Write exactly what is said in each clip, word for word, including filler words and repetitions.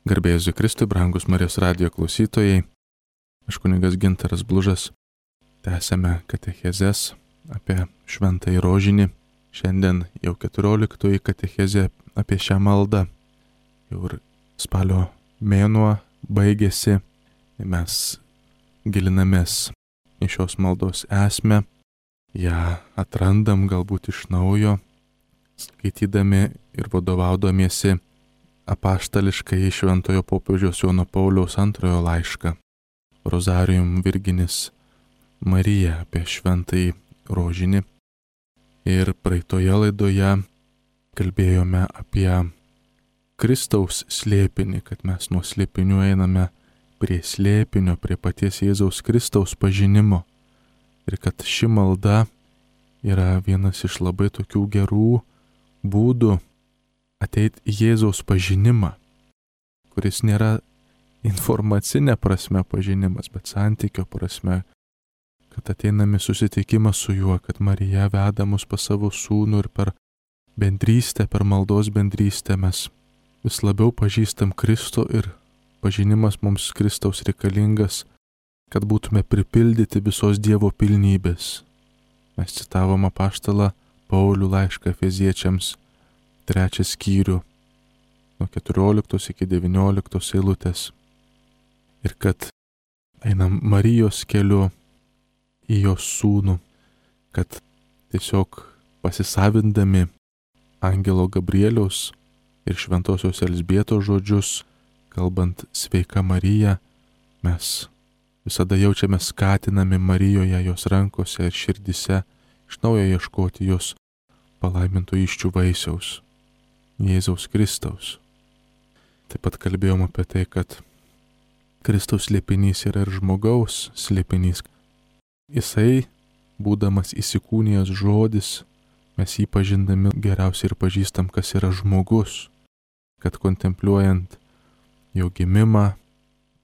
Garbė Jėzui Kristui, brangus Marijos radijo klausytojai, aš kunigas Gintaras Blužas, tęsiame katechezes apie šventąjį rožinį. Šiandien jau keturioliktoji katechezė apie šią maldą. Jau ir spalio mėnuo baigėsi, mes gilinamės į šios maldos esmę, ją atrandam galbūt iš naujo, skaitydami ir vadovaudamiesi apaštališkai šventojo popiežiaus Jono Pauliaus antrojo laišką Rozarium Virginis Marija apie šventąjį rožinį. Ir praeitoje laidoje kalbėjome apie Kristaus slėpinį, kad mes nuo slėpinių einame prie slėpinio, prie paties Jėzaus Kristaus pažinimo. Ir kad ši malda yra vienas iš labai tokių gerų būdų ateiti į Jėzaus pažinimą, kuris nėra informacinė prasme pažinimas, bet santykio prasme, kad ateiname susitikimą su juo, kad Marija veda mus pas savo sūnų ir per bendrystę, per maldos bendrystę mes vis labiau pažįstam Kristų ir pažinimas mums Kristaus reikalingas, kad būtume pripildyti visos Dievo pilnybės. Mes citavom apaštalą Paulių laišką Efeziečiams, trečią skyrių, nuo keturioliktos iki devynioliktos eilutės. Ir kad einam Marijos keliu į jos sūnų, kad tiesiog pasisavindami angelo Gabrieliaus ir šventosios Elzbietos žodžius, kalbant sveika Marija, mes visada jaučiame skatinami Marijoje, jos rankose ir širdise iš naujo ieškoti jos palaiminto įsčių vaisiaus, Jėzaus Kristaus. Taip pat kalbėjom apie tai, kad Kristaus slėpinys yra ir žmogaus slėpinys. Jisai, būdamas įsikūnijęs žodis, mes jį pažindami geriausiai ir pažįstam, kas yra žmogus, kad kontempliuojant jo gimimą,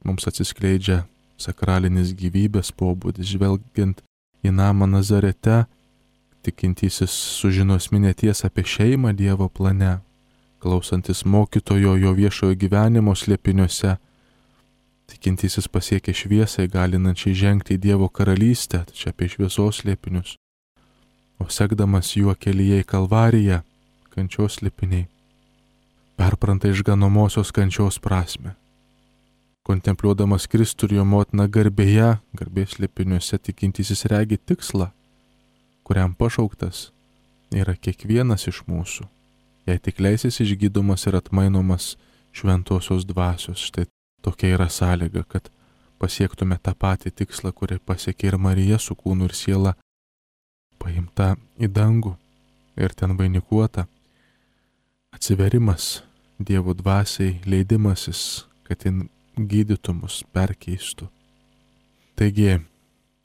mums atsiskleidžia sakralinis gyvybės pobūdis, žvelgiant į namą Nazarete, tikintysis sužino esminę tiesą apie šeimą Dievo plane, klausantis mokytojo jo viešojo gyvenimo slėpiniuose, tikintysis pasiekia šviesą įgalinančiai žengti į Dievo karalystę, čia apie šviesos slėpinius, o sekdamas juo kelyje į Kalvariją, kančios slėpiniai, perpranta išganomosios kančios prasmę. Kontempliuodamas Kristų ir jo motiną garbėje, garbės slėpiniuose, tikintysis regi tikslą, kuriam pašauktas yra kiekvienas iš mūsų, jei tik leisis išgydomas ir atmainomas šventosios dvasios. Štai tokia yra sąlyga, kad pasiektume tą patį tikslą, kurį pasiekė ir Marija su kūnu ir siela, paimta į dangų ir ten vainikuota. Atsiverimas Dievo dvasiai, leidimasis, kad jin gydytų mus, perkeistų. Taigi,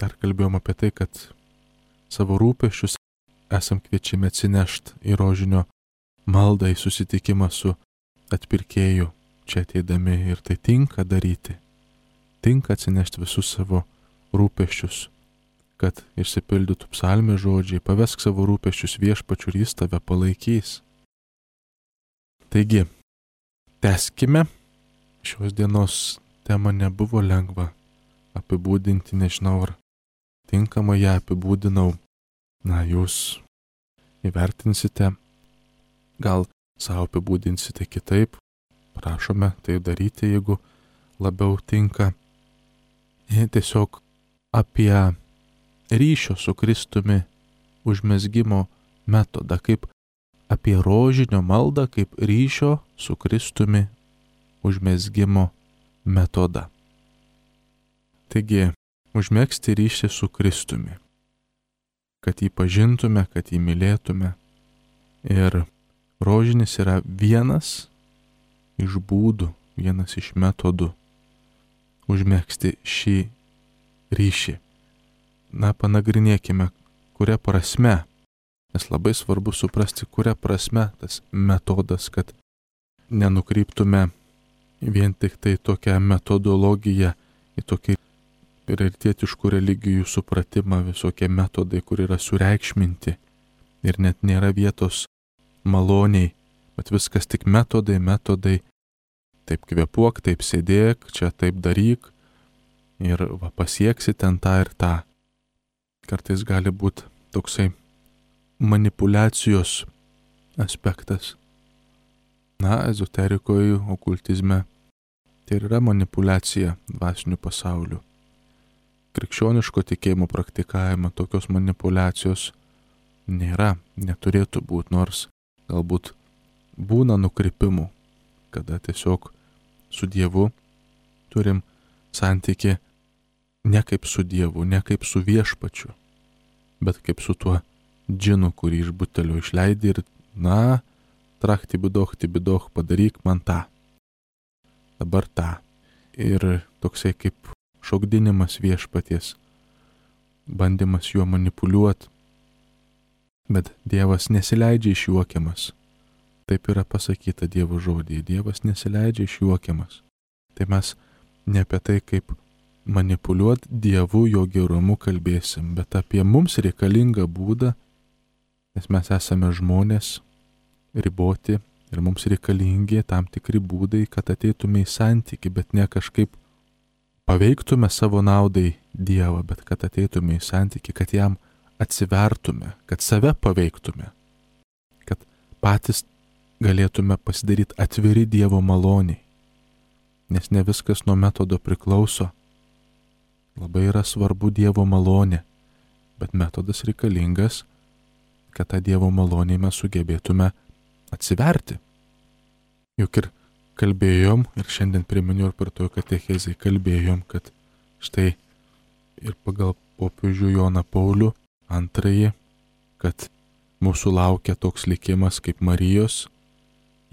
dar kalbėjom apie tai, kad savo rūpesčius esam kviečiami atsinešti į rožinio maldą, į susitikimą su atpirkėju čia ateidami, ir tai tinka daryti. Tinka atsinešti visus savo rūpesčius, kad išsipildytų psalmės žodžiai, pavesk savo rūpesčius viešpačiu ir jis tave palaikys. Taigi, tęskime. Šios dienos tema nebuvo lengva apibūdinti, nežinau, ar tinkamai ją apibūdinau. Na, jūs įvertinsite, gal savo apibūdinsite kitaip, prašome tai daryti, jeigu labiau tinka. Ir tiesiog apie ryšio su Kristumi užmezgimo metodą, kaip apie rožinio maldą, kaip ryšio su Kristumi užmezgimo metodą. Taigi, užmegzti ryšį su Kristumi, kad jį pažintume, kad jį mylėtume. Ir rožinis yra vienas iš būdų, vienas iš metodų užmegzti šį ryšį. Na, panagrinėkime, kuria prasme, nes labai svarbu suprasti, kuria prasme tas metodas, kad nenukryptume vien tik tai tokią metodologiją, į tokį prioritietiškų religijų supratimą, visokie metodai, kur yra sureikšminti ir net nėra vietos maloniai, bet viskas tik metodai, metodai. taip kvėpuok, taip sėdėk, čia taip daryk ir va, pasieksi ten tą ir tą. Kartais gali būti toksai manipulacijos aspektas. Na, ezoterikoje, okultizme tai yra manipulacija dvasiniu pasauliu. Krikščioniško tikėjimo praktikavimo tokios manipulacijos nėra, neturėtų būti, nors galbūt būna nukrypimų, kada tiesiog su Dievu turim santykį ne kaip su Dievu, ne kaip su viešpačiu, bet kaip su tuo džinu, kurį iš butelio išleidai ir, na, trakti bidoch, ti bidoch, padaryk man tą. Dabar tą. Ir toksai kaip šokdinimas viešpaties, bandymas juo manipuliuoti. Bet Dievas nesileidžia išjuokiamas. Taip yra pasakyta Dievo žodyje. Dievas nesileidžia išjuokiamas. Tai mes ne apie tai, kaip manipuliuoti Dievu, jo gerumu kalbėsim, bet apie mums reikalingą būdą, nes mes esame žmonės, riboti ir mums reikalingi tam tikri būdai, kad ateitume į santykį, bet ne kažkaip paveiktume savo naudai Dievą, bet kad ateitume į santykį, kad jam atsivertume, kad save paveiktume, kad patys galėtume pasidaryti atviri Dievo maloniai, nes ne viskas nuo metodo priklauso. Labai yra svarbu Dievo malonė, bet metodas reikalingas, kad tą Dievo malonį mes sugebėtume atsiverti. Juk ir kalbėjom, ir šiandien priminiau ir per to katechezei kalbėjom, kad štai ir pagal popiežių Joną Paulių antrąjį, kad mūsų laukia toks likimas kaip Marijos,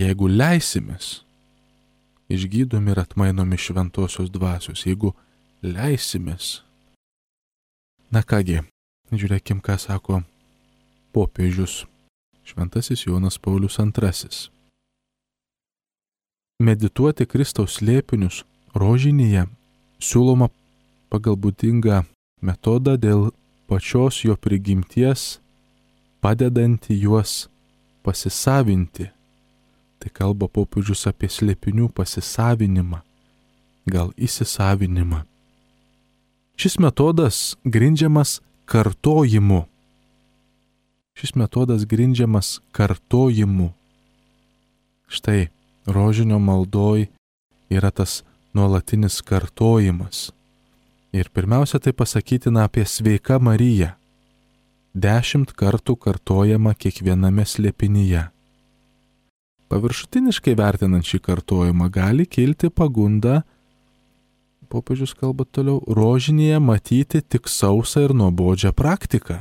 jeigu leisimės, išgydomi ir atmainomi šventosios dvasios, jeigu leisimės. Na kągi, žiūrėkim, ką sako popiežius šventasis Jonas Paulius antrasis. Medituoti Kristaus slėpinius rožinėje siūloma pagal būdingą metodą dėl pačios jo prigimties, padedanti juos pasisavinti. Tai kalba popiežius apie slėpinių pasisavinimą, gal įsisavinimą. Šis metodas grindžiamas kartojimu. Šis metodas grindžiamas kartojimu. Štai rožinio maldoj yra tas nuolatinis kartojimas. Ir pirmiausia tai pasakytina apie sveiką Mariją. Dešimt kartų kartojama kiekviename slėpinyje. Paviršutiniškai vertinant šį kartojimą gali kilti pagunda, popiežius kalba toliau, rožinėje matyti tik sausą ir nuobodžią praktiką.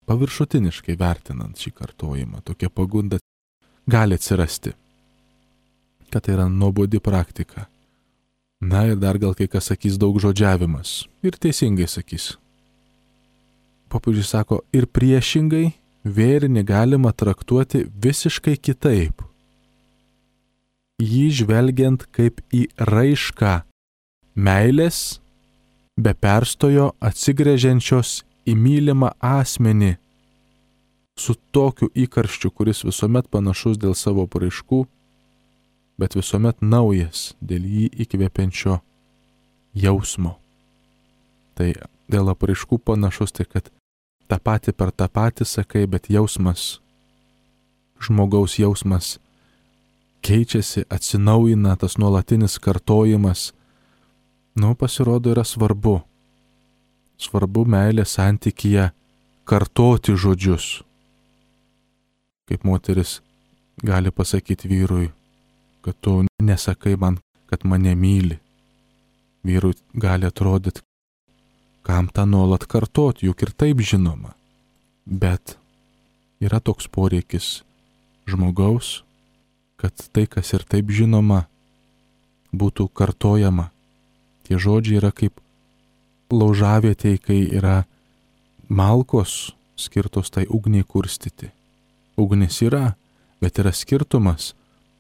Paviršutiniškai vertinant šį kartojimą, tokia pagunda gali atsirasti, kad tai yra nuobodi praktika. Na ir dar gal kai kas sakys daug žodžiavimas. Ir teisingai sakys. Popiežius sako, ir priešingai vėrinį galima traktuoti visiškai kitaip. Jį žvelgiant kaip į raišką meilės, be perstojo atsigręžiančios į mylimą asmenį, su tokiu įkarščiu, kuris visuomet panašus dėl savo apraiškų, bet visuomet naujas dėl jį įkvepiančio jausmo. Tai dėl apraiškų panašus, tai kad tą patį per tą patį sakai, bet jausmas, žmogaus jausmas keičiasi, atsinaujina, tas nuolatinis kartojimas, nu, pasirodo, yra svarbu. Svarbu meilės santykyje kartoti žodžius. Kaip moteris gali pasakyti vyrui, kad tu nesakai man, kad mane myli. Vyrui gali atrodyti, kam tą nuolat kartoti, juk ir taip žinoma. Bet yra toks poreikis žmogaus, kad tai, kas ir taip žinoma, būtų kartojama. Tie žodžiai yra kaip laužavietėj, kai yra malkos skirtos tai ugniai kurstyti. Ugnis yra, bet yra skirtumas,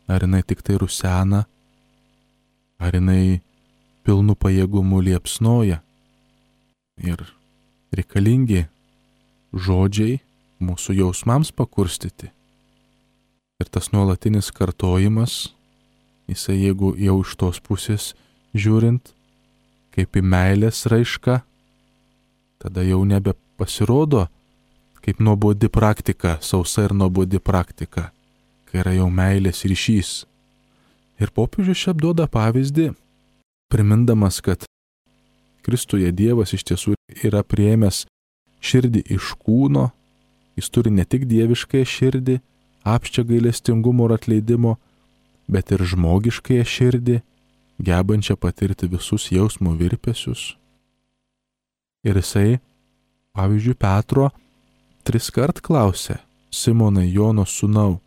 ar jinai tik tai rusena, ar jinai pilnu pajėgumu liepsnoja. Ir reikalingi žodžiai mūsų jausmams pakurstyti. Ir tas nuolatinis kartojimas Jisai, jeigu jau iš tos pusės žiūrint, kaip į meilės raišką, tada jau nebepasirodo kaip nuobodi praktika, sausa ir nuobodi praktika, kai yra jau meilės ryšys. Ir popiežius čia duoda pavyzdį, primindamas, kad Kristuje Dievas iš tiesų yra priėmęs širdį iš kūno, jis turi ne tik dieviškąją širdį, apsčią gailestingumo ir atleidimo, bet ir žmogiškąją širdį, gebančią patirti visus jausmo virpesius. Ir jisai, pavyzdžiui, Petro tris kart klausė: Simonai, Jono sūnau,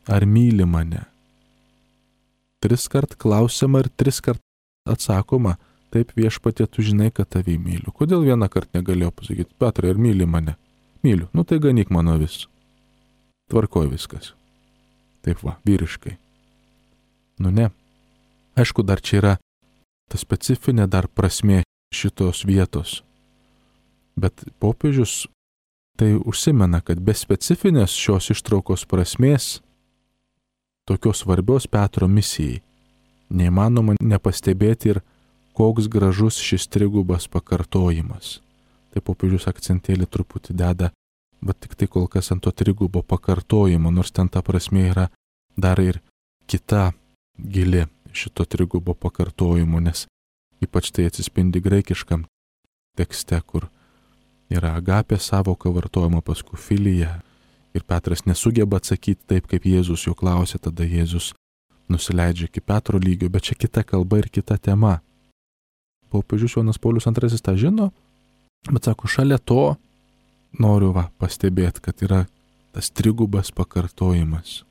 ar myli mane? Tris kart klausiama ir tris kart atsakoma: taip, Viešpatie, tu žinai, kad tavį myliu. Kodėl vieną kartą negalėjau pasakyti: Petrai, ar myli mane? Myliu. Nu tai ganyk mano vis. Tvarkoj viskas. Taip va, vyriškai. Nu ne. Aišku, dar čia yra ta specifinė dar prasmė šitos vietos. Bet popiežius tai užsimena, kad be specifinės šios ištraukos prasmės, tokios svarbios Petro misijai, neįmanoma nepastebėti ir koks gražus šis trigubas pakartojimas. Tai popiežius akcentėlį truputį deda, bet tik tai kol kas ant to trigubo pakartojimo, nors ten ta prasmė yra dar ir kita gili šito trigubo pakartojimo, nes ypač tai atsispindi graikiškam tekste, kur yra agapė savoka vartojama, paskui filija. Ir Petras nesugeba atsakyti taip, kaip Jėzus jo klausė, tada Jėzus nusileidžia iki Petro lygio, bet čia kita kalba ir kita tema. Popiežius Jonas Paulius antrasis tą žino, bet sako, šalia to noriu va pastebėti, kad yra tas trigubas pakartojimas.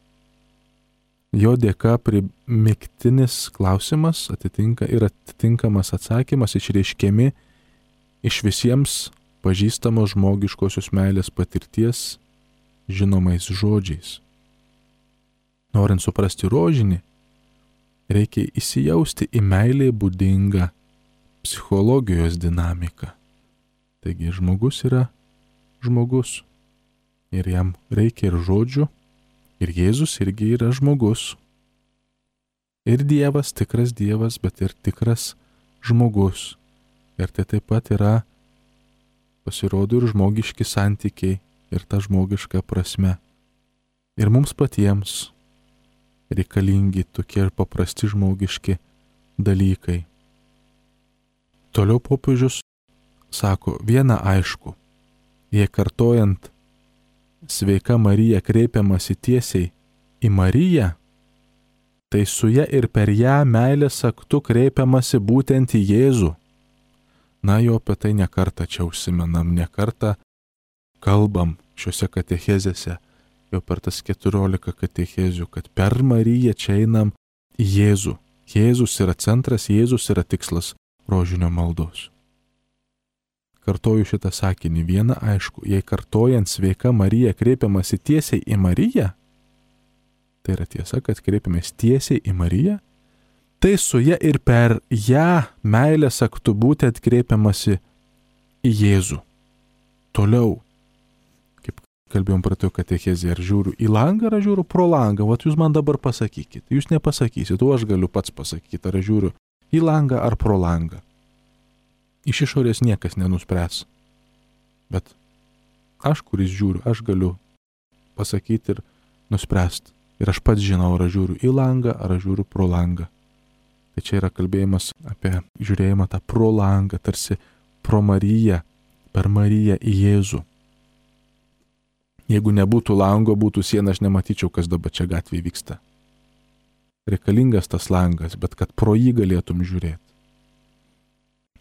Jo dėka primiktinis klausimas atitinka ir atitinkamas atsakymas išreiškiami iš visiems pažįstamos žmogiškosios meilės patirties žinomais žodžiais. Norint suprasti rožinį, reikia įsijausti į meilę būdingą psichologijos dinamiką. Taigi žmogus yra žmogus ir jam reikia ir žodžių, ir Jėzus irgi yra žmogus. Ir Dievas, tikras Dievas, bet ir tikras žmogus. Ir tai taip pat yra, pasirodo, ir žmogiški santykiai, ir ta žmogiška prasme. Ir mums patiems reikalingi tokie ir paprasti žmogiški dalykai. Toliau popiežius sako, viena aišku, jei kartojant sveika Marija kreipiamasi tiesiai į Mariją, tai su ja ir per ją meilės aktu kreipiamasi būtent į Jėzų. Na, jau apie tai nekartą čia užsimenam, nekartą kalbam šiuose katechezėse, jau per tas keturiolika katechezių, kad per Mariją čia einam į Jėzų. Jėzus yra centras, Jėzus yra tikslas rožinio maldos. Kartoju šitą sakinį, viena aišku, jei kartojant sveika Marija kreipiamasi tiesiai į Mariją, tai yra tiesa, kad kreipiamės tiesiai į Mariją, tai su ja ir per ją meilės aktu būtent kreipiamasi į Jėzų. Toliau, kaip kalbėjom pratėjo katechezė, ar žiūriu į langą, ar žiūriu pro langą, vat jūs man dabar pasakykit, jūs nepasakysit, o aš galiu pats pasakyti, ar žiūriu į langą ar pro langą. Iš išorės niekas nenuspręs. Bet aš, kuris žiūriu, aš galiu pasakyti ir nuspręsti. Ir aš pats žinau, ar žiūriu į langą, ar žiūriu pro langą. Tai čia yra kalbėjimas apie žiūrėjimą tą pro langą, tarsi pro Mariją, per Mariją į Jėzų. Jeigu nebūtų lango, būtų siena, aš nematyčiau, kas dabar čia gatvėje vyksta. Reikalingas tas langas, bet kad pro jį galėtum žiūrėti.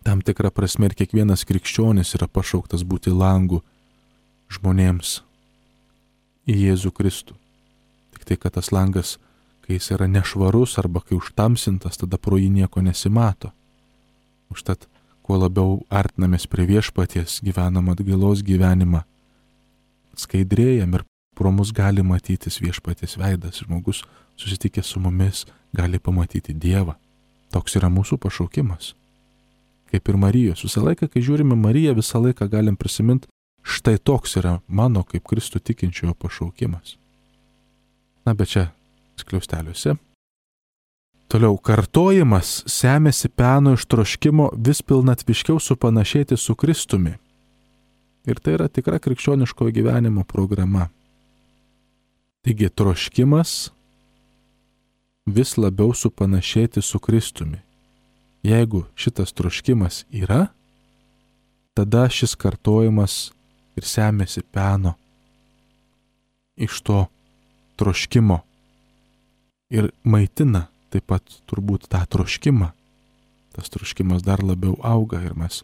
Tam tikrą prasme ir kiekvienas krikščionis yra pašauktas būti langu žmonėms į Jėzų Kristų. Tik tai, kad tas langas, kai jis yra nešvarus arba kai užtamsintas, tada pro jį nieko nesimato. Užtat, kuo labiau artinamės prie viešpaties, gyvenam atgailos gyvenimą, skaidrėjam ir pro mus gali matytis viešpaties veidas. Žmogus susitikęs su mumis gali pamatyti Dievą. Toks yra mūsų pašaukimas. Kaip ir Marijos. Visą laiką, kai žiūrime Mariją, visą laiką galim prisiminti, štai toks yra mano kaip Kristų tikinčiojo pašaukimas. Na, bet čia skliausteliuose Toliau, kartojimas semiasi peno iš troškimo vis pilnatviškiau supanašėti su Kristumi. Ir tai yra tikra krikščioniško gyvenimo programa. Taigi, troškimas vis labiau supanašėti su Kristumi. Jeigu šitas troškimas yra, tada šis kartojimas ir semiasi peno iš to troškimo ir maitina taip pat turbūt tą troškimą. Tas troškimas dar labiau auga ir mes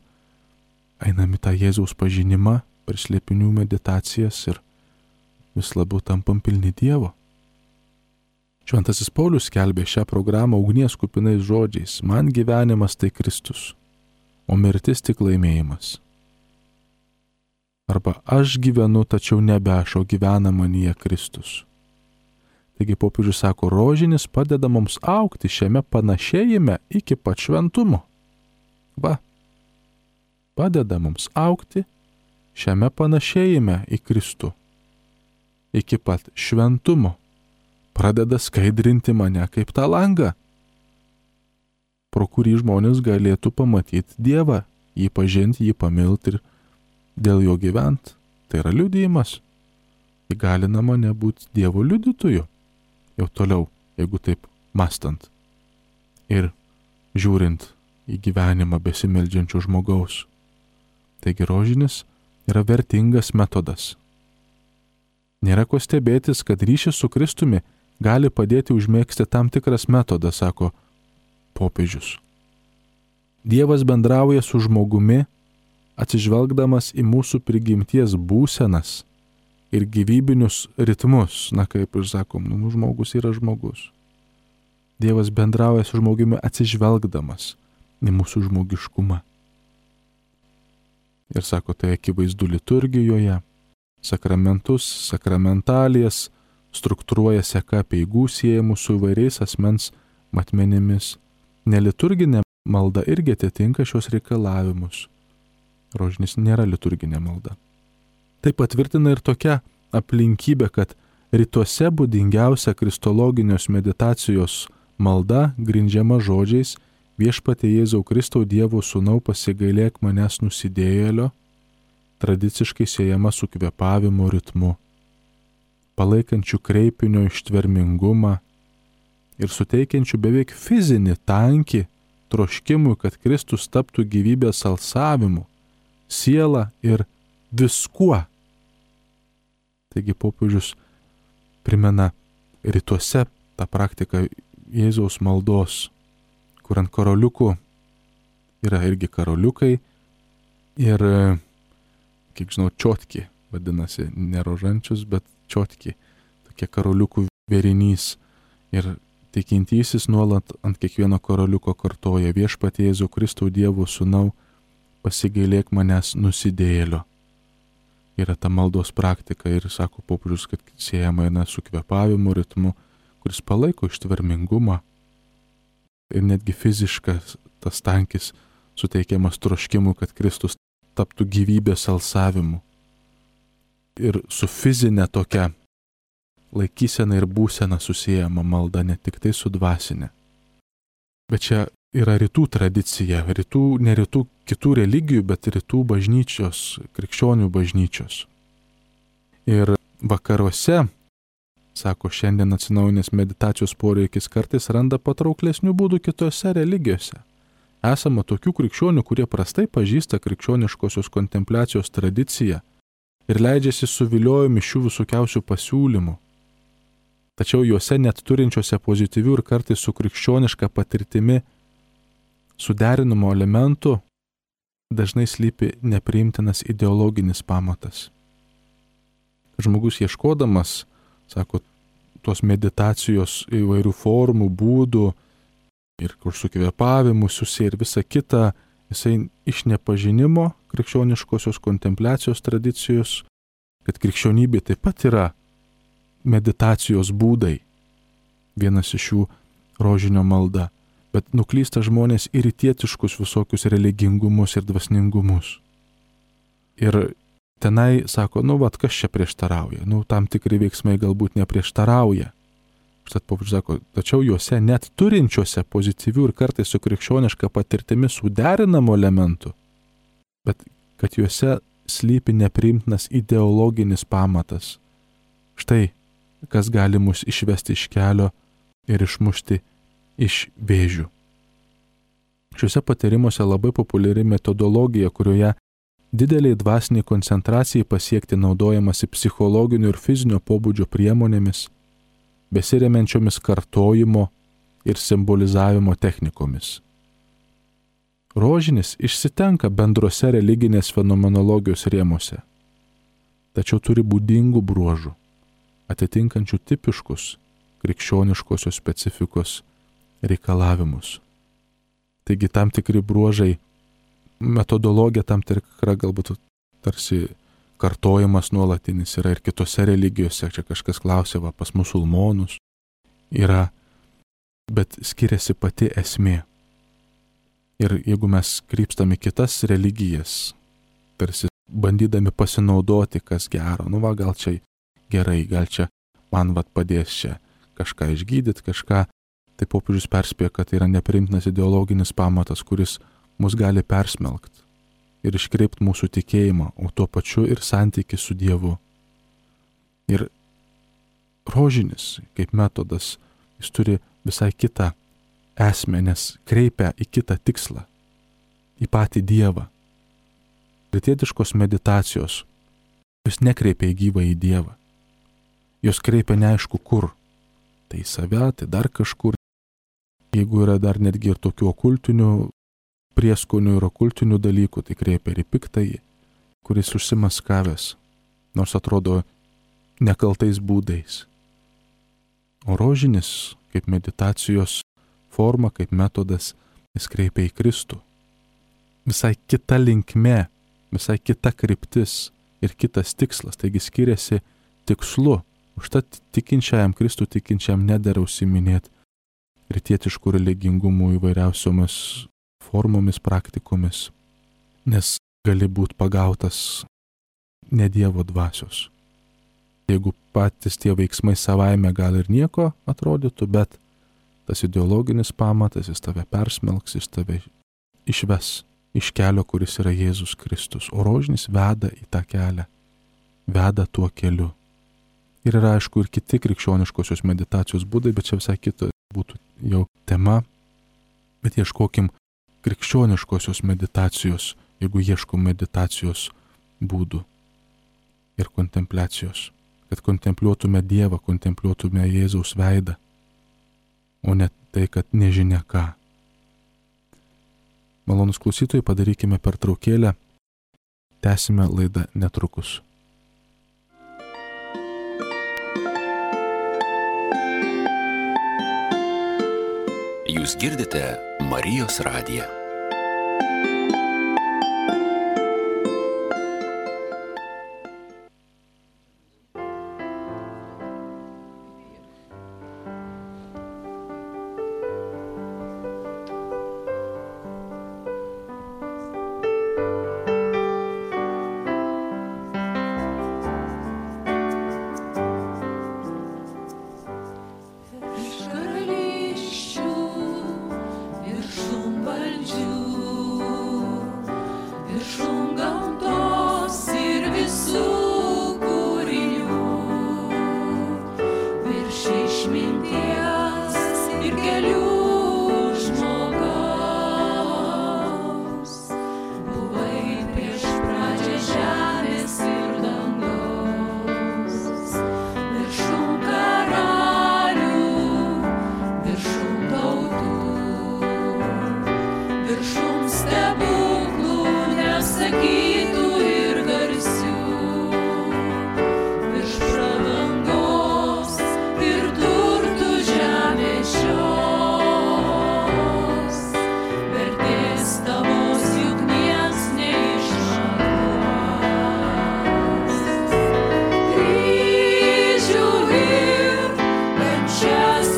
einame tą Jėzaus pažinimą per slėpinių meditacijas ir vis labiau tampam pilni Dievo. Šventasis Paulius skelbė šią programą ugnies kupinais žodžiais: man gyvenimas tai Kristus, o mirtis tik laimėjimas. Arba aš gyvenu, tačiau nebe aš, o gyvena manyje Kristus. Taigi popiežius sako, rožinis padeda mums augti šiame panašėjime iki pat šventumo. Va, padeda mums augti šiame panašėjime į Kristų iki pat šventumo. Pradeda skaidrinti mane kaip tą langą, pro kurį žmonės galėtų pamatyti Dievą, jį pažinti, jį pamilti ir dėl jo gyventi. Tai yra liudijimas. Įgalina mane būti Dievo liudytoju. Jau toliau, jeigu taip mąstant ir žiūrint į gyvenimą besimeldžiančio žmogaus. Taigi rožinis yra vertingas metodas. Nėra ko stebėtis, kad ryšis su Kristumi gali padėti užmėgsti tam tikras metodas, sako popiežius. Dievas bendrauja su žmogumi, atsižvelgdamas į mūsų prigimties būsenas ir gyvybinius ritmus. Na, kaip ir sakom, nu, žmogus yra žmogus. Dievas bendrauja su žmogumi atsižvelgdamas į mūsų žmogiškumą. Ir sako, tai akivaizdu liturgijoje, sakramentus, sakramentalijas, struktūruoja seka apeigų siejamų su įvairiais asmens matmenimis. Neliturginė malda irgi atitinka šios reikalavimus. Rožinis nėra liturginė malda. Tai patvirtina ir tokia aplinkybė, kad rytuose būdingiausia kristologinios meditacijos malda grindžiama žodžiais viešpatie Jėzau Kristau Dievo sūnau pasigailėk manęs nusidėjėlio, tradiciškai siejama su kvėpavimo ritmu, palaikančių kreipinio ištvermingumą ir suteikiančių beveik fizinį tankį troškimui, kad Kristus taptų gyvybės alsavimu, siela ir viskuo. Taigi popiežius primena rytuose tą praktiką Jėzaus maldos, kur ant karoliukų yra irgi karoliukai ir, kiek žinau, čiotki, vadinasi, ne rožančius, bet čiotki, tokie karoliukų vėrinys. Ir tikintysis nuolat ant kiekvieno karoliuko kartoja viešpatie Jėzau Kristau Dievo sūnau, pasigailėk manęs nusidėjėlio. Yra ta maldos praktika ir sako popiežius, kad siejama eina su kvėpavimo ritmu, kuris palaiko ištvermingumą ir netgi fiziškas tas tankis suteikiamas troškimui, kad Kristus taptų gyvybės alsavimu. Ir su fizinė tokia laikysena ir būsena susijama malda, ne tik tai su dvasinė. Bet čia yra rytų tradicija, rytų, ne rytų kitų religijų, bet rytų bažnyčios, krikščionių bažnyčios. Ir vakaruose, sako, šiandien atsinaujinęs meditacijos poreikis kartais randa patrauklesnių būdų kitose religijose. Esama tokių krikščionių, kurie prastai pažįsta krikščioniškosios kontempliacijos tradiciją ir leidžiasi suviliojami šių visokiausių pasiūlymų. Tačiau juose net turinčiose pozityvių ir kartais su krikščioniška patirtimi suderinimo elementų dažnai slypi nepriimtinas ideologinis pamatas. Žmogus ieškodamas, sako, tos meditacijos įvairių formų, būdų ir kur su kvėpavimu susiję ir visa kita, jisai iš nepažinimo krikščioniškosios kontempliacijos tradicijos, kad krikščionybė taip pat yra meditacijos būdai, vienas iš jų rožinio malda, bet nuklysta žmonės į rytietiškus visokius religingumus ir dvasningumus. Ir tenai sako, nu vat, kas čia prieštarauja, nu tam tikri veiksmai galbūt neprieštarauja. Užtat popiežius sako, tačiau juose net turinčiuose pozityvių ir kartais su krikščioniška patirtimi suderinamų elementų, bet kad juose slypi nepriimtinas ideologinis pamatas. Štai, kas gali mus išvesti iš kelio ir išmušti iš vėžių. Šiuose patyrimuose labai populiari metodologija, kurioje dideliai dvasiniai koncentracijai pasiekti naudojamasi psichologinių ir fizinio pobūdžio priemonėmis, besiremiančiomis kartojimo ir simbolizavimo technikomis. Rožinis išsitenka bendrose religinės fenomenologijos rėmuose, tačiau turi būdingų bruožų, atitinkančių tipiškus krikščioniškosios specifikos reikalavimus. Taigi tam tikri bruožai, metodologija tam tikra galbūt tarsi kartojimas nuolatinis yra ir kitose religijose, čia kažkas klausė, va, pas musulmonus yra, bet skiriasi pati esmė. Ir jeigu mes krypstame kitas religijas, tarsi bandydami pasinaudoti, kas gero, nu va, gal čia gerai, gal čia man vat padės čia kažką išgydyti, kažką, tai popiežius perspėja, kad tai yra nepriimtinas ideologinis pamatas, kuris mus gali persmelkti ir iškreipti mūsų tikėjimą, o tuo pačiu ir santykį su Dievu. Ir rožinis, kaip metodas, jis turi visai kitą esmę, nes kreipia į kitą tikslą, į patį Dievą. Rytietiškos meditacijos, jos nekreipia į gyvą į Dievą. Jos kreipia neaišku kur. Tai į save, tai dar kažkur. Jeigu yra dar netgi ir tokių okultinių prieskonių ir okultinių dalykų, tai kreipia ir į piktąjį, kuris užsimaskavęs, nors atrodo nekaltais būdais. O rožinis, kaip meditacijos forma, kaip metodas, jis kreipia į Kristų. Visai kita linkme, visai kita kryptis ir kitas tikslas, taigi skiriasi tikslu. Užtat tikinčiajam, Kristų tikinčiajam nedera užsiminėti rytietiškų religingumų įvairiausiomis formomis, praktikomis, nes gali būti pagautas ne Dievo dvasios. Jeigu patys tie veiksmai savaime gal ir nieko atrodytų, bet tas ideologinis pamatas, jis tave persmelks, jis tave išves iš kelio, kuris yra Jėzus Kristus. O rožinis veda į tą kelią, veda tuo keliu. Ir yra aišku ir kiti krikščioniškosios meditacijos būdai, bet čia visai kita būtų jau tema. Bet ieškokim krikščioniškosios meditacijos, jeigu ieškom meditacijos būdų ir kontempliacijos, kad kontempliuotume Dievą, kontempliuotume Jėzaus veidą, o ne tai, kad nežinia ką. Malonus klausytojai, padarykime pertraukėlę, tęsime laidą netrukus. Jūs girdite Marijos radiją.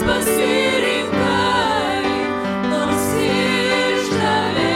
Pasirinkai, nors išdavė.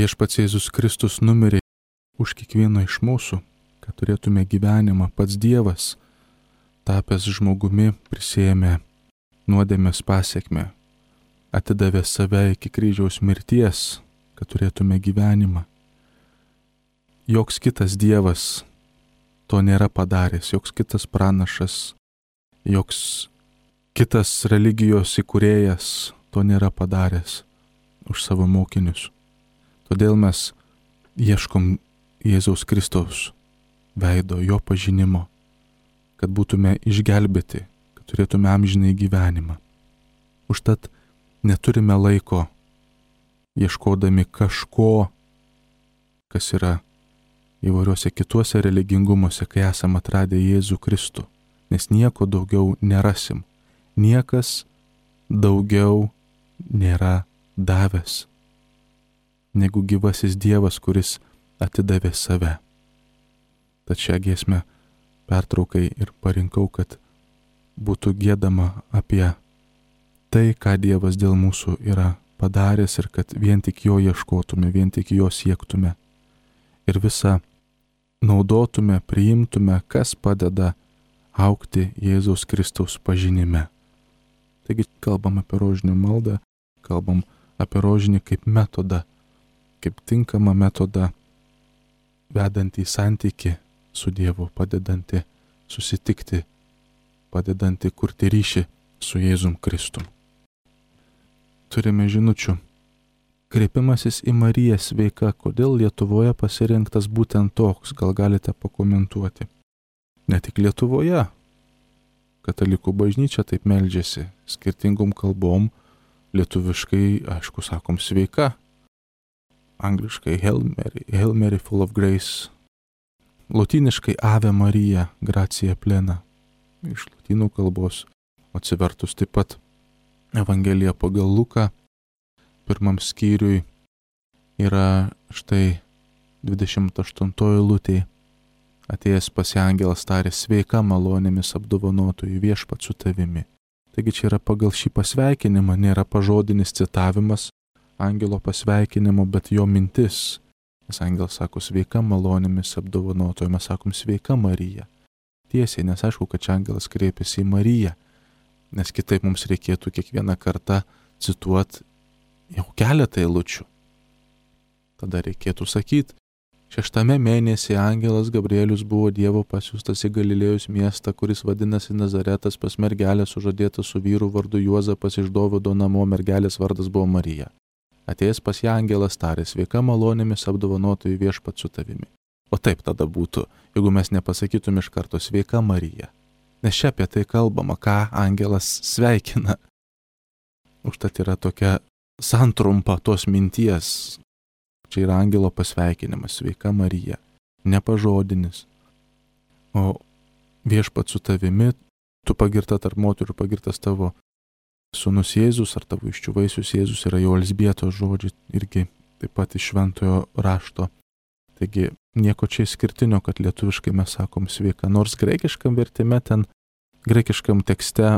Viešpats Jėzus Kristus numirė už kiekvieno iš mūsų, kad turėtume gyvenimą. Pats Dievas, tapęs žmogumi, prisėmė nuodėmės pasiekmę, atidavė save iki kryžiaus mirties, kad turėtume gyvenimą. Joks kitas Dievas to nėra padaręs, joks kitas pranašas, joks kitas religijos įkūrėjas to nėra padaręs už savo mokinius. Todėl mes ieškom Jėzaus Kristaus veido, jo pažinimo, kad būtume išgelbėti, kad turėtume amžinai gyvenimą. Užtat neturime laiko ieškodami kažko, kas yra įvairiuose kituose religingumuose, kai esame atradę Jėzų Kristų, nes nieko daugiau nerasim. Niekas daugiau nėra davęs negu gyvasis Dievas, kuris atidavė save. Tad šią giesmę pertraukai ir parinkau, kad būtų giedama apie tai, ką Dievas dėl mūsų yra padaręs ir kad vien tik jo ieškotume, vien tik jo siektume ir visą naudotume, priimtume, kas padeda augti Jėzaus Kristaus pažinime. Taigi kalbam apie rožinio maldą, kalbam apie rožinį kaip metodą, kaip tinkamą metodą vedantį santykį su Dievu, padedantį susitikti, padedantį kurti ryšį su Jėzum Kristum. Turime žinučių. Kreipimasis į Mariją sveika, kodėl Lietuvoje pasirinktas būtent toks, gal galite pakomentuoti. Ne tik Lietuvoje, katalikų bažnyčia taip meldžiasi, skirtingom kalbom, lietuviškai, aišku, sakom sveika, angliškai Hail Mary, Hail Mary full of grace, lotyniškai Ave Marija, gracia plena, iš lotynų kalbos, atsivertus taip pat Evangelija pagal Luką, pirmam skyriui yra štai dvidešimt aštuntoji eilutė. Atėjęs pas ją angelas tarė, sveika malonėmis apdovanotoji, viešpats su tavimi. Taigi čia yra pagal šį pasveikinimą, nėra pažodinis citavimas angelo pasveikinimo, bet jo mintis. Nes angelas sako, sveika malonėmis apdovanotoji, mes sakom, sveika Marija. Tiesiai, nes aišku, kad čia angelas kreipiasi į Mariją, nes kitaip mums reikėtų kiekvieną kartą cituoti jau keletą eilučių. Tada reikėtų sakyti, šeštame mėnesį angelas Gabrielius buvo Dievo pasiųstas į Galilėjos miestą, kuris vadinasi Nazaretas, pas mergelę sužadėtą su vyru vardu Juozapas iš Dovydo namo, mergelės vardas buvo Marija. Atėjęs pas ją angelas tarė, sveika malonėmis apdovanotoji, viešpats su tavimi. O taip tada būtų, jeigu mes nepasakytum iš karto sveika Marija. Nes čia apie tai kalbama, ką angelas sveikina. Užtat yra tokia santrumpa tos minties. Čia yra angelo pasveikinimas, sveika Marija, nepažodinis. O viešpats su tavimi, tu pagirta tarp moterų, pagirtas tavo sūnus Jėzus ar tavo iščių vaisius Jėzus, yra jau Elzbietos žodžiai, irgi taip pat iš šventojo rašto. Taigi nieko čia išskirtinio, kad lietuviškai mes sakom sveika, nors graikiškam vertime ten, graikiškam tekste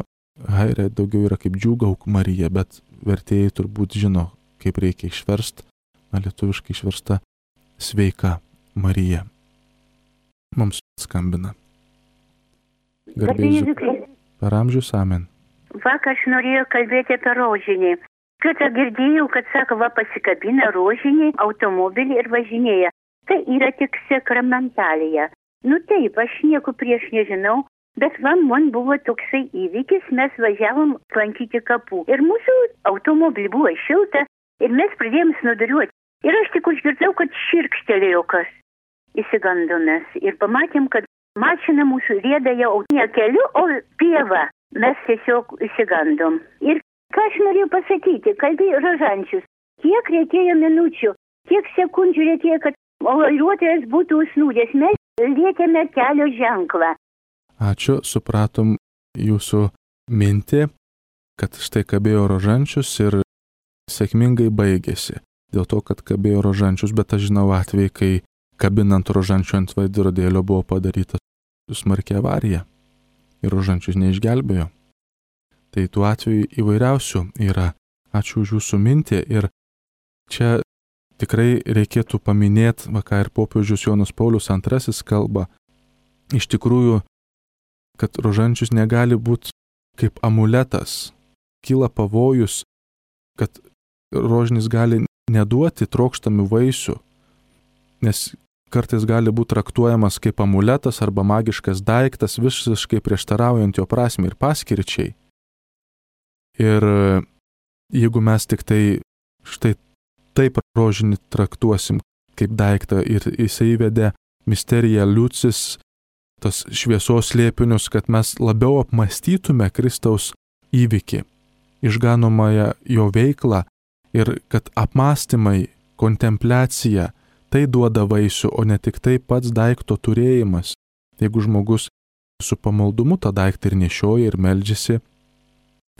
haire daugiau yra kaip džiūgauk Marija, bet vertėjai turbūt žino, kaip reikia išversti. Na, lietuviškai išversta sveika Marija. Mums skambina. Garbėsiu. Per amžius, amen. Vakar aš norėjau kalbėti apie rožinį. Kada girdėjau, kad sako, va pasikabina rožinį, automobilį ir važinėja. Tai yra tik sakramentalija. Nu taip, aš nieko prieš nežinau, bet man, man buvo toksai įvykis, mes važiavom lankyti kapų. Ir mūsų automobilį buvo šilta ir mes pradėjom snuduriuoti. Ir aš tik užgirdau, kad širkštelėjo kas. Įsigandomės ir pamatėm, kad mašina mūsų rieda jau ne keliu, o pieva. Mes tiesiog įsigandom. Ir ką aš norėjau pasakyti, kalbėjo Rožančius, kiek reikėjo minučių, kiek sekundžių reikėjo, kad vairuotojas būtų užsnūdęs. Mes lietėme kelio ženklą. Ačiū, supratom jūsų mintį, kad štai kabėjo Rožančius ir sėkmingai baigėsi. Dėl to, kad kabėjo Rožančius, bet aš žinau atvejį, kai kabinant Rožančių ant veidrodėlio buvo padaryta smarki avarija ir Rožančius neišgelbėjo. Tai tų atvejų įvairiausių yra. Ačiū už jūsų mintį ir čia tikrai reikėtų paminėti, va ką ir popiežius Jonas Paulius antrasis kalba, iš tikrųjų, kad rožančius negali būti kaip amuletas. Kyla pavojus, kad rožinis gali neduoti trokštamių vaisių, nes kartais gali būti traktuojamas kaip amuletas arba magiškas daiktas, visiškai prieštaraujant jo prasmei ir paskirčiai. Ir jeigu mes tik tai štai taip rožinį traktuosim kaip daiktą ir jisai įvedė misteriją liucis, tas šviesos slėpinius, kad mes labiau apmastytume Kristaus įvykį, išganomąją jo veiklą ir kad apmąstymai, kontempliacija, tai duoda vaisių, o ne tik tai pats daikto turėjimas. Jeigu žmogus su pamaldumu tą daiktą ir nešioja ir meldžiasi,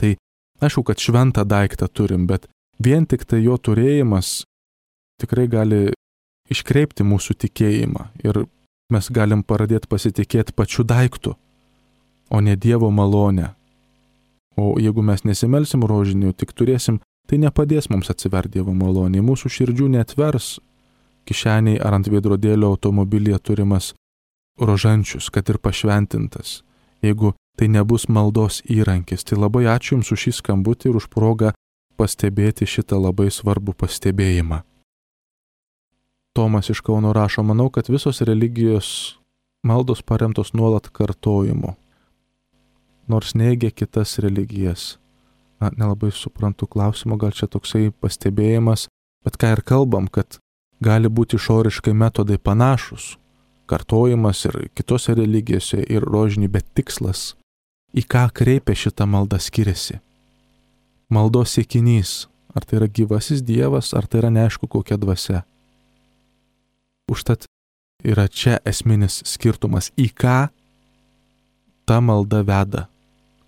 tai aišku, kad šventą daiktą turim, bet vien tik tai jo turėjimas tikrai gali iškreipti mūsų tikėjimą ir mes galim pradėti pasitikėti pačiu daiktu, o ne Dievo malonę. O jeigu mes nesimelsim rožinių, tik turėsim, tai nepadės mums atsiverti Dievo malonė, mūsų širdžių neatvers kišeniai ar ant veidrodėlio automobilyje turimas rožančius, kad ir pašventintas, jeigu tai nebus maldos įrankis. Tai labai ačiū Jums už šį skambutį ir už progą pastebėti šitą labai svarbų pastebėjimą. Tomas iš Kauno rašo, manau, kad visos religijos maldos paremtos nuolat kartojimu, nors neigia kitas religijas. Na, nelabai suprantu klausimo, gal čia toksai pastebėjimas, bet ką ir kalbam, kad gali būti išoriškai metodai panašus, kartojimas ir kitose religijose ir rožinį, bet tikslas, į ką kreipia šitą maldą skiriasi. Maldos siekinys, ar tai yra gyvasis Dievas, ar tai yra neaišku kokia dvasia. Užtat yra čia esminis skirtumas, į ką ta malda veda.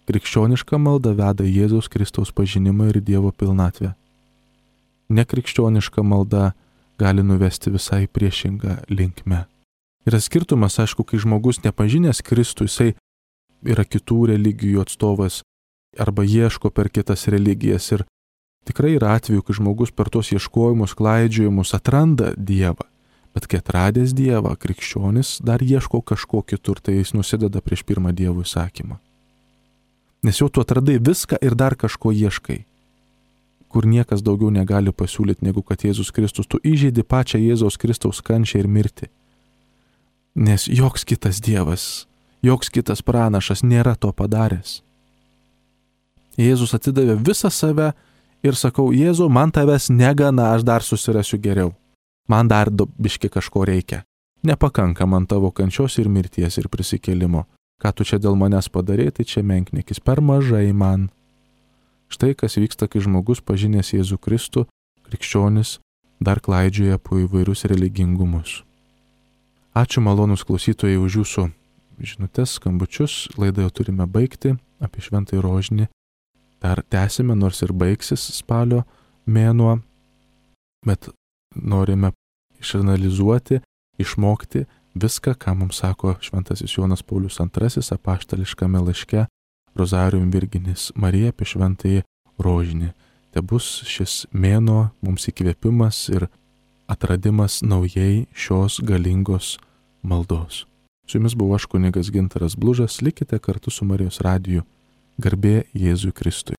Krikščioniška malda veda Jėzaus Kristaus pažinimą ir Dievo pilnatvę. Nekrikščioniška malda gali nuvesti visai priešingą linkmę. Yra skirtumas, aišku, kai žmogus nepažinęs Kristų, jisai yra kitų religijų atstovas arba ieško per kitas religijas ir tikrai yra atveju, kai žmogus per tos ieškojimus, klaidžiojimus atranda Dievą. Bet kai atradęs Dievą, krikščionis dar ieško kažko kitur, tai jis nusideda prieš pirmą Dievo įsakymą. Nes jau tu atradai viską ir dar kažko ieškai, kur niekas daugiau negali pasiūlyti negu kad Jėzus Kristus. Tu įžeidi pačią Jėzaus Kristaus kančią ir mirtį. Nes joks kitas Dievas, joks kitas pranašas nėra to padaręs. Jėzus atidavė visą save ir sakau, Jėzau, man tavęs negana, aš dar susirasiu geriau. Man dar biški kažko reikia. Nepakanka man tavo kančios ir mirties ir prisikėlimo. Ką tu čia dėl manęs padarė, tai čia menkniekis, per mažai man. Štai kas vyksta, kai žmogus pažinęs Jėzų Kristų, krikščionis, dar klaidžioja po įvairius religingumus. Ačiū malonus klausytojai už jūsų žinutes, skambučius. Laidą jau turime baigti apie šventąjį rožinį. Dar tęsime, nors ir baigsis spalio mėnuo, bet norime išanalizuoti, išmokti viską, ką mums sako šventasis Jonas Paulius antrasis apaštališkame laiške Rozarium Virginis Marija apie šventąjį rožinį. Te bus šis mėnuo mums įkvėpimas ir atradimas naujai šios galingos maldos. Su jumis buvo aš kunigas Gintaras Blužas, likite kartu su Marijos radiju. Garbė Jėzui Kristui.